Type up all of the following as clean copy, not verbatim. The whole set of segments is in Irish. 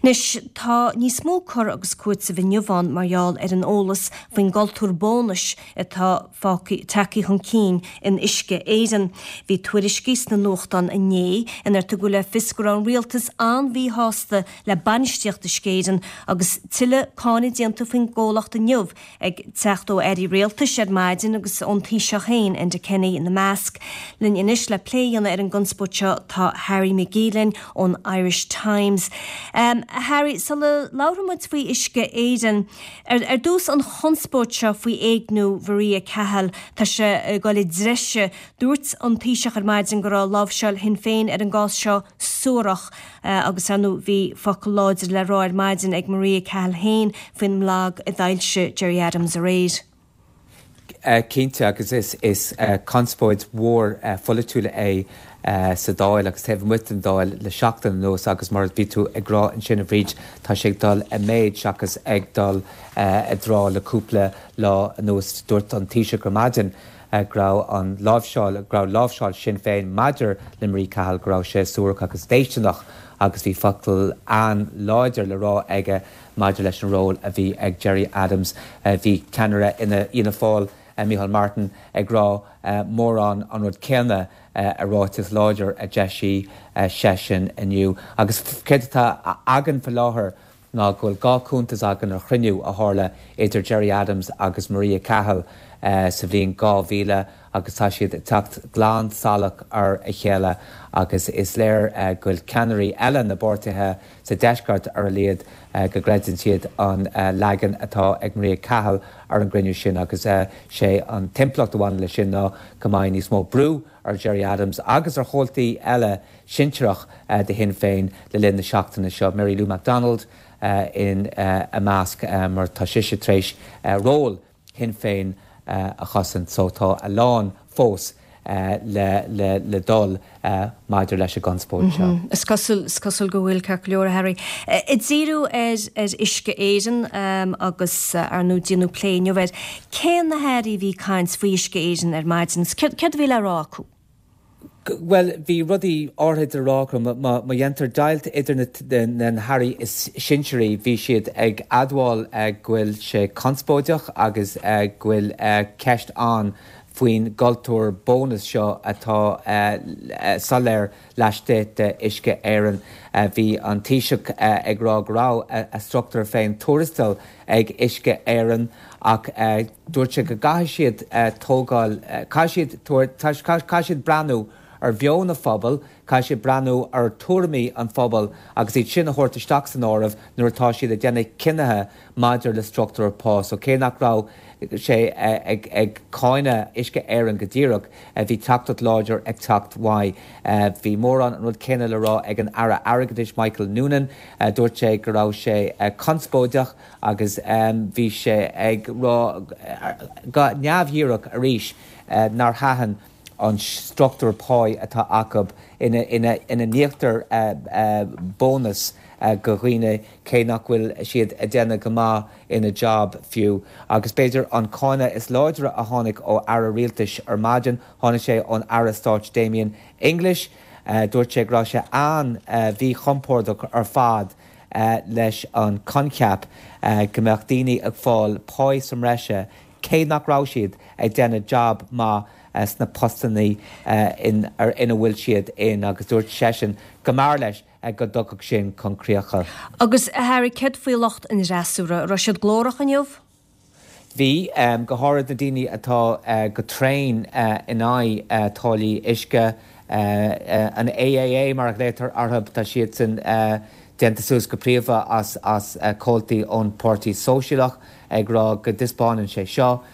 Anois, tá níos mó cur agus cúiteamh inniu ann mar gheall ar an eolas faoin gcultúr bónais atá fágtha, tagtha chun cinn in Uisce Éireann. Bhí tuairiscí sna nuachtáin inné inar tugadh le fios go raibh an rialtas an-mhíshásta le bainistíocht Uisce Éireann agus tuilleadh cáineadh déanta faoin gcomhlacht inniu ag teacht ó airí rialtais ar maidin agus ón Taoiseach féin, Enda Kenny, ina measc. Linn anois le plé a dhéanamh ar an gconspóid seo tá Harry McGee linn ón Irish Times. Harry, sula labhróidh muid faoi Uisce Éireann, ar ar dtús an chonspóid seo faoi éigniú Mharia Cahill, tá sé ag dul i dtreise. Dúirt an Taoiseach ar maidin go raibh láimhseáil Shinn Féin ar an gcás seo suarach. Agus ar ndóigh bhí focal láidir le rá ar maidin ag Maria Cahill féin faoin mblag a d'fhoilsigh Gerry Adams aréir. Cinnte, agus is conspóid mhór pholaitiúil é sa Dáil agus taobh amuigh den Dáil le seachtain anuas agus mar a bhí tú ag rá ansin a Bhríd, tá sé ag dul i méid seachas ag dul i dtrá le cúpla lá anuas. Dúirt an Taoiseach ar maidin go raibh an láimhseáil, go raibh láimhseáil Shinn Féin maidir le Marie Cahill, go raibh sé suarach agus déistineach agus bhí focal an-láidir le rá aige maidir leis an ról a bhí ag Gerry Adams. Bhí ceannaire Fhianna Fáil, Micheál Martin, ag rá mórán an rud céanna i ráiteas láidir a d'eisigh seisean inniu. Agus céard atá againn faoi láthair? ná go bhfuil 2 cuntas againn ar chruinniú a tharla idir Gerry Adams agus Maria Cahill sa bhliain 2000 agus tá siad ag teacht glan salach ar a chéile agus is léir go bhfuil ceannairí eile na bpáirtithe sa deisceart ar a laghad go gcreideann siad an leagan atá ag Maria Cahill ar an gcruinniú sin agus sé an t-impleacht a bhaineann leis sin ná go mbeidh níos mó brú ar Gerry Adams agus ar chomhaltaí eile sinsearach de Shinn Féin le linn na seachtaine seo, Mary Lou McDonald ina measc, mar tá sise tar éis ról Shinn Féin a chosaint so tá a lán fós le dul maidir leis an gconspóid seo. Is cosúil, is cosúil go bhfuil, ceart go leor, a Harry. Ag díriú ar ar Uisce Éireann agus ar ndóigh déanadh plé inniu air, cé na hairí a bhí ag caint faoi Uisce Éireann ar maidin agus céard a bhí le rá acu? Bhuel, bhí rudaí áirithe le rá acu. Má dhéantar deighilt idir na hairí is sinsearaí, bhí siad ag admháil go bhfuil sé conspóideach agus go bhfuil ceist ann faoin gcultúr bónas seo atá soiléir laistigh de Uisce Éireann. Bhí an Taoiseach ag rá go raibh a struchtúr féin tuarastail ag Uisce Éireann ach dúirt sé go gcaithfidh siad tógáil, caithfidh siad tabhairt, caithfidh siad breathnú ar mheon an phobail, caithfidh siad breathnú ar tuairimí an phobail agus iad sin a thabhairt isteach san áireamh nuair atá siad ag déanamh cinnithe maidir le struchtúr pá. So cé nach raibh sé ag cáineadh Uisce Éireann go díreach, bhí teachtaireacht láidir ag teacht uaidh. Bhí mórán an rud céanna le rá ag an Aire Airgeadais Michael Noonan. Dúirt sé go raibh sé conspóideach agus bhí sé ag rá go neamhdhíreach arís nár thaitin an struchtúr páí atá acu ina n-íoctar bónas go dhaoine cé nach bhfuil siad ag déanamh go maith ina job fiú. Agus b'fhéidir an cáineadh is láidre a tháinig ó aire rialtais ar maidin, tháinig sé ón Aire Stáit Damien English. Dúirt sé go raibh sé an-mhíchompordach ar fad leis an coincheap go mbeadh daoine ag fáil páí sa mbreise cé nach raibh siad ag déanamh jab maith sna postannaí ina bhfuil siad in agus dúirt seisean go mb'fhearr leis go dtiocfadh sin chun críocha. Agus, a Harry, céard faoi lucht an fhreasúra? An raibh siad glórach inniu? Bhí, go háirid na daoine atá go tréan in aghaidh táillí uisce, an AAA mar a ghlaotar orthu, tá siadsan déanta suas go príomha as comhaltaí ón Páirtí Sóisialach, ag rá go dtaispeánann sé seo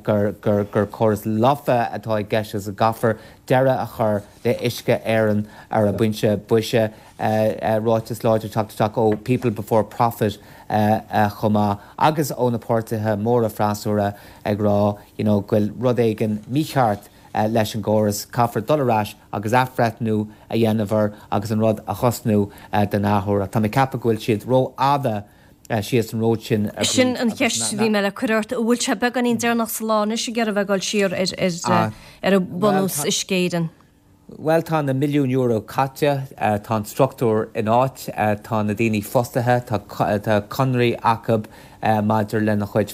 gur córas lofa atá i gceist agus go gcaithfear deireadh a chur le Uisce Éireann ar an bpointe boise. Ráiteas láidir teacht isteach ó People Before Profit chomh maith agus ó na páirtithe móra freasúra ag rá you know go bhfuil rud éigin mícheart leis an gcóras, caithfear dul ar ais agus athbhreithniú a dhéanamh air agus an rud a thosnú den athuair. Ach tá mé ag ceapadh go bhfuil siad rófhada síos an ród sin a Bhríd Sin an cheist a bhí mé le cur ort. An bhfuil sé beagáinín deireanach sa lá anois ag iarraidh bheith ag dul siar ar ar bunús Uisce Éireann? Bhuel, tá na milliúin euro caite, tá an struchtúr in áit, tá na daoine fostaithe, tá conraí acu maidir lena chuid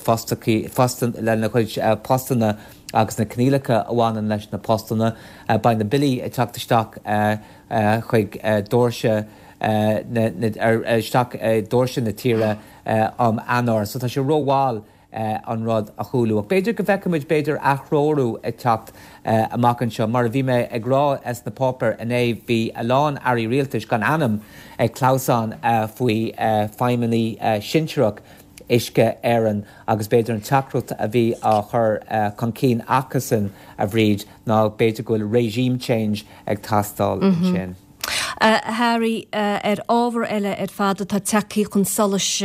lena chuid postanna agus na coinníollacha a bhaineann leis na postanna. Beidh na billí ag teacht isteach chuig doirse na isteach doirse na tíre um Eanáir. So tá sé rómhall an rud a chúlú. Ach b'fhéidir go bhfeicfimid b'fhéidir aththreorú ag teacht amach anseo. Mar a bhí mé ag rá sna páipéir inné, bhí a lán airí rialtais gan ainm ag clamhsán faoi feidhmeannaigh sinsearach Uisce Éireann agus b'fhéidir an teachtaireacht a bhí á chur chun cinn acusan, a Bhríd, ná b'fhéidir go bhfuil regime change ag teastáil ansin. A Harry, ar ábhar eile ar fad atá tagtha chun solais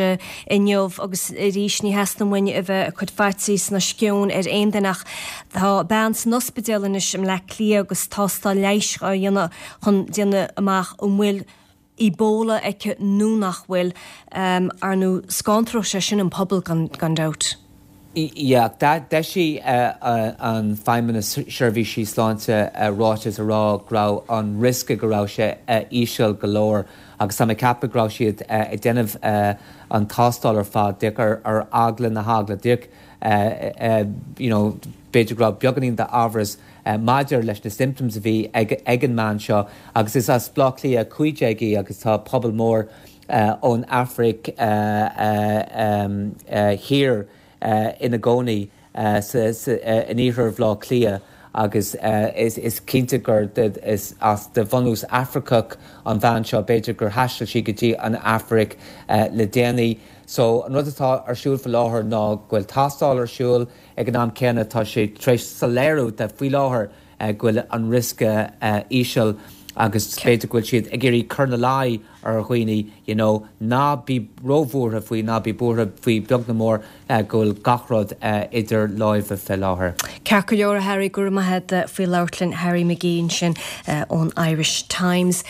inniu, agus arís ní theastaíonn uainn a bheith ag cur faitíos ná sceon ar aon duine ach tá bean san ospidéal anois i mBleá Cliath agus tástáil leighis á dhéanamh chun déanamh amach an bhfuil Ebola aici nó nach bhfuil. Ar ndóigh scanróidh sé sin an pobal gan dabht. Yeah, d'eisigh an Feidhmeannas Seirbhísí Sláinte ráiteas a rá go raibh an riosca go raibh sé íseal go leor agus tá mé ag ceapadh go raibh siad ag déanamh an tástáil ar fad díreach ar eagla na heagla, díreach you know b'fhéidir go raibh beagáinín d'amhras maidir leis na symptoms a bhí ag an mbean seo agus is as Baile Átha Cliath 15 í agus tá pobal mór ón Afraic Thiar ina gcónaí in iarthar Bhaile Átha Cliath agus is cinnte gur is as de bhunús Afracach an bhean seo, b'fhéidir gur thaistil sí go dtí an Afraic le déanaí. So an rud atá ar siúl faoi láthair ná go bhfuil tástáil ar siúl, ag an am céanna tá sé tar éis soiléiriú de faoi láthair go bhfuil an riosca íseal agus b'fhéidir go bhfuil siad ag iarraidh cur ina luí ar dhaoine you know ná bí róbhuartha faoi, ná bí buartha faoi beag ná mór go bhfuil gach rud idir láimhe fé láthair. Ceart go leor a Harry, go raibh maith agat faoi labhairt linn, Harry McGee ansin ón Irish Times.